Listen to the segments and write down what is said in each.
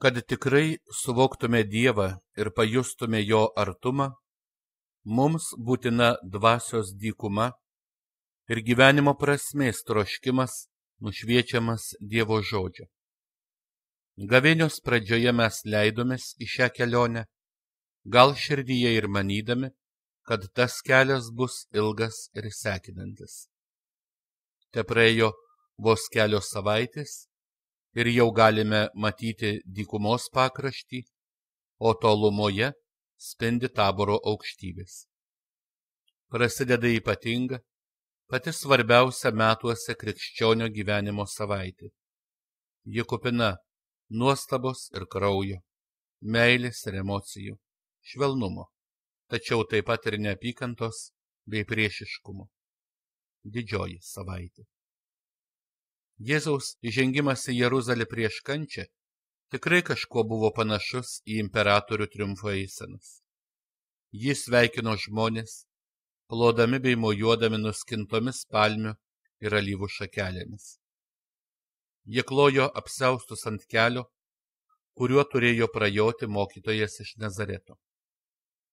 Kad tikrai suvoktume Dievą ir pajustume jo artumą, mums būtina dvasios dykuma ir gyvenimo prasmės troškimas nušviečiamas Dievo žodžio. Gavėnios pradžioje mes leidomės į šią kelionę, gal širdyje ir manydami, kad tas kelias bus ilgas ir sekinantis. Te praėjo vos kelios savaitės ir jau galime matyti dykumos pakraštį, o tolumoje spindi Taboro aukštybės. Prasideda ypatinga, pati svarbiausia metuose krikščionio gyvenimo savaitė. Ji kupina nuostabos ir kraujo, meilės ir emocijų, švelnumo, tačiau taip pat ir neapykantos bei priešiškumo. Didžioji savaitė. Jėzaus įžengimas į Jeruzalę prieš kančią tikrai kažkuo buvo panašus į imperatorių triumfo eisenas. Jis sveikino žmonės, plodami bei mojuodami nuskintomis palmių ir alyvų šakelėmis. Jie klojo apsiaustus ant kelio, kuriuo turėjo prajoti mokytojas iš Nazareto.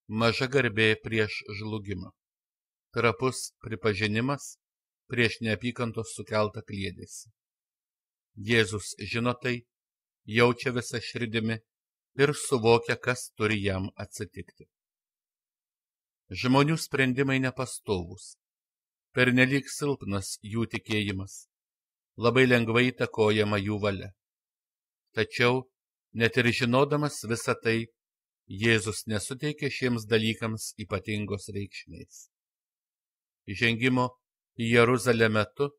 Maža garbė prieš žlugimą. Trapus pripažinimas prieš neapykantos sukeltą kliedesį. Jėzus žino tai, jaučia visą širdimi ir suvokia, kas turi jam atsitikti. Žmonių sprendimai nepastovūs, pernelyg silpnas jų tikėjimas, labai lengvai įtakojama jų valia. Tačiau, net ir žinodamas visą tai, Jėzus nesuteikė šiems dalykams ypatingos reikšmės. Įžengimo į Jeruzalę metu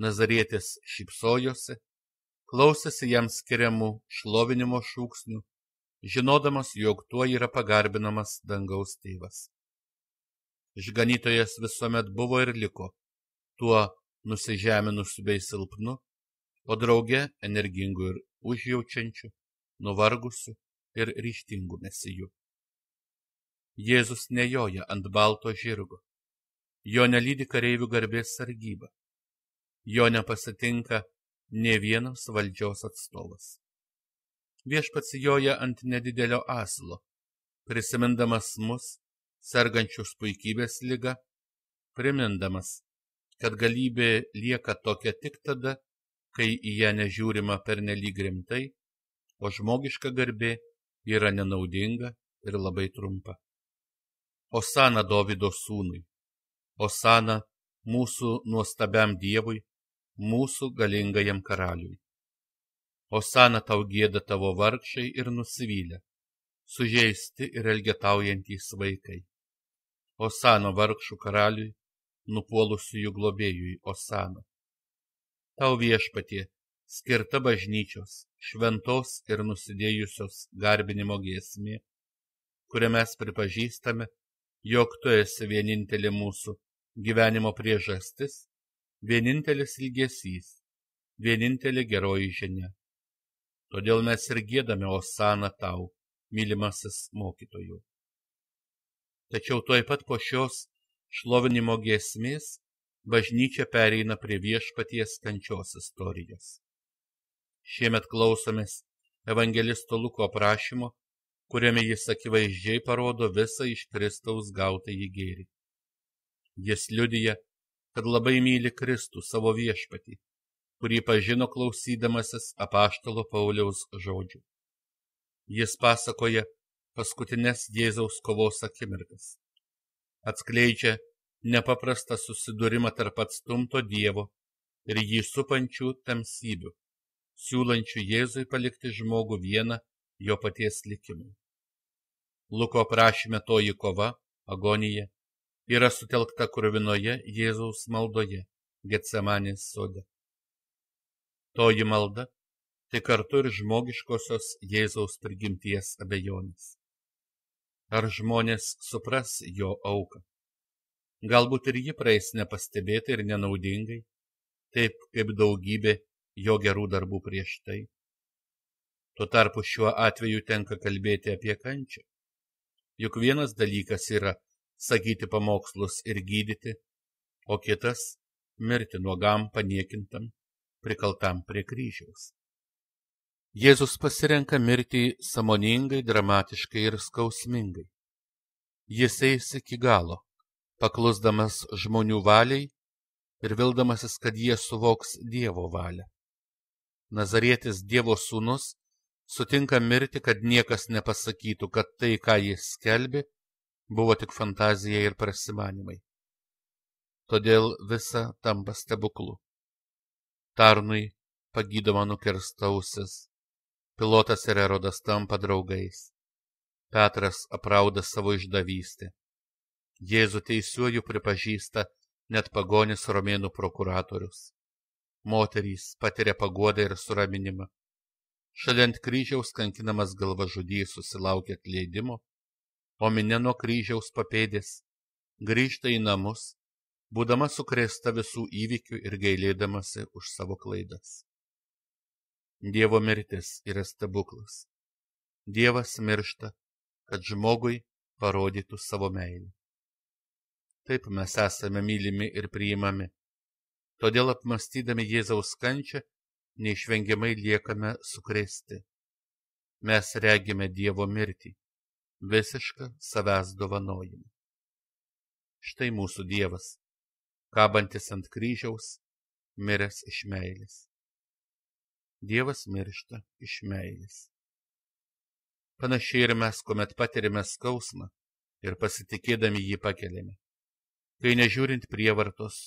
Nazarietis šypsojosi, klausėsi jam skiriamų šlovinimo šūksnių, žinodamas, jog tuo yra pagarbinamas dangaus tėvas. Išganytojas visuomet buvo ir liko tuo nusižeminusiu bei silpnu, o drauge energingu ir užjaučiančiu, nuvargusiu ir ryžtingu mesiju. Jėzus nejoja ant balto žirgo, jo nelydi kareivių garbės sargyba, jo nepasitinka nė vienas valdžios atstovas. Viešpats joja ant nedidelio asilo, prisimindamas mus, sergančius puikybės liga, primindamas, kad galybė lieka tokia tik tada, kai į ją nežiūrima pernelyg rimtai, o žmogiška garbė yra nenaudinga ir labai trumpa. Osana Dovydo sūnui, Osana mūsų nuostabiam Dievui, mūsų galingajam karaliui. Osana tau gieda tavo vargšai ir nusivylę, sužeisti ir elgetaujantys vaikai. Osana vargšų karaliui, nupuolusiųjų globėjui, Osana. Tau Viešpatie skirta bažnyčios, šventos ir nusidėjusios garbinimo giesmė, kurią mes pripažįstame, jog tu esi vienintelė mūsų gyvenimo priežastis, vienintelis ilgesys, vienintelė geroji žinia. Todėl mes ir giedame Osana tau, mylimasis mokytojų. Tačiau tuoj pat po šios šlovinimo giesmės bažnyčia pereina prie Viešpaties kančios istorijos. Šiemet klausomės evangelisto Luko aprašymo, kuriame jis akivaizdžiai parodo visą iš Kristaus gautąjį gėrį. Jis liudija, kad labai myli Kristų savo Viešpatį, kurį pažino klausydamasis apaštalo Pauliaus žodžių. Jis pasakoja paskutines Jėzaus kovos akimirkas. Atskleidžia nepaprastą susidūrimą tarp atstumto Dievo ir jį supančių tamsybių, siūlančių Jėzui palikti žmogų vieną jo paties likimui. Luko aprašyme toji kova, agonija, yra sutelkta kruvinoje Jėzaus maldoje, Getsemanės sode. Toji malda tai kartu ir žmogiškosios Jėzaus prigimties abejonės. Ar žmonės supras jo auką? Galbūt ir ji praeis nepastebėtai ir nenaudingai, taip kaip daugybė jo gerų darbų prieš tai. Tuo tarpu šiuo atveju tenka kalbėti apie kančią. Juk vienas dalykas yra sakyti pamokslus ir gydyti, o kitas mirti nuogam, paniekintam, prikaltam prie kryžiaus. Jėzus pasirenka mirtį sąmoningai, dramatiškai ir skausmingai. Jis eis iki galo, paklusdamas žmonių valiai ir vildamasis, kad jie suvoks Dievo valią. Nazarietis Dievo sūnus sutinka mirti, kad niekas nepasakytų, kad tai, ką jis skelbė, buvo tik fantazija ir prasimanymai. Todėl visa tampa stebuklu. Tarnui pagydoma nukirsta ausis, Pilotas ir Erodas tampa draugais, Petras aprauda savo išdavystę, Jėzų teisiuoju pripažįsta net pagonis romėnų prokuratorius, moterys patiria paguodą ir suraminimą, šalia ant kryžiaus kankinamas galvažudys susilaukia atleidimo, o minia nuo kryžiaus papėdės grįžta į namus, būdama sukrėsta visų įvykių ir gailėdamasi už savo klaidas. Dievo mirtis yra stebuklas. Dievas miršta, kad žmogui parodytų savo meilę. Taip mes esame mylimi ir priimami. Todėl apmąstydami Jėzaus kančią, neišvengiamai liekame sukrėsti. Mes regime Dievo mirtį, visišką savęs dovanojimą. Štai mūsų Dievas, kabantis ant kryžiaus, miręs iš meilės. Dievas miršta iš meilės. Panašiai ir mes, kuomet patiriame skausmą ir pasitikėdami jį pakeliame. Kai nežiūrint prievartos,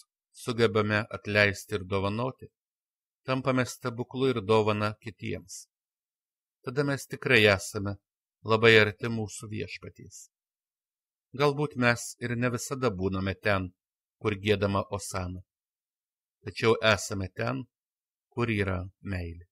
sugebame atleisti ir dovanoti, tampame stebuklu ir dovana kitiems. Tada mes tikrai esame labai arti mūsų Viešpaties. Galbūt mes ir ne visada būname ten, kur giedama osana, tačiau esame ten, kur yra meilė.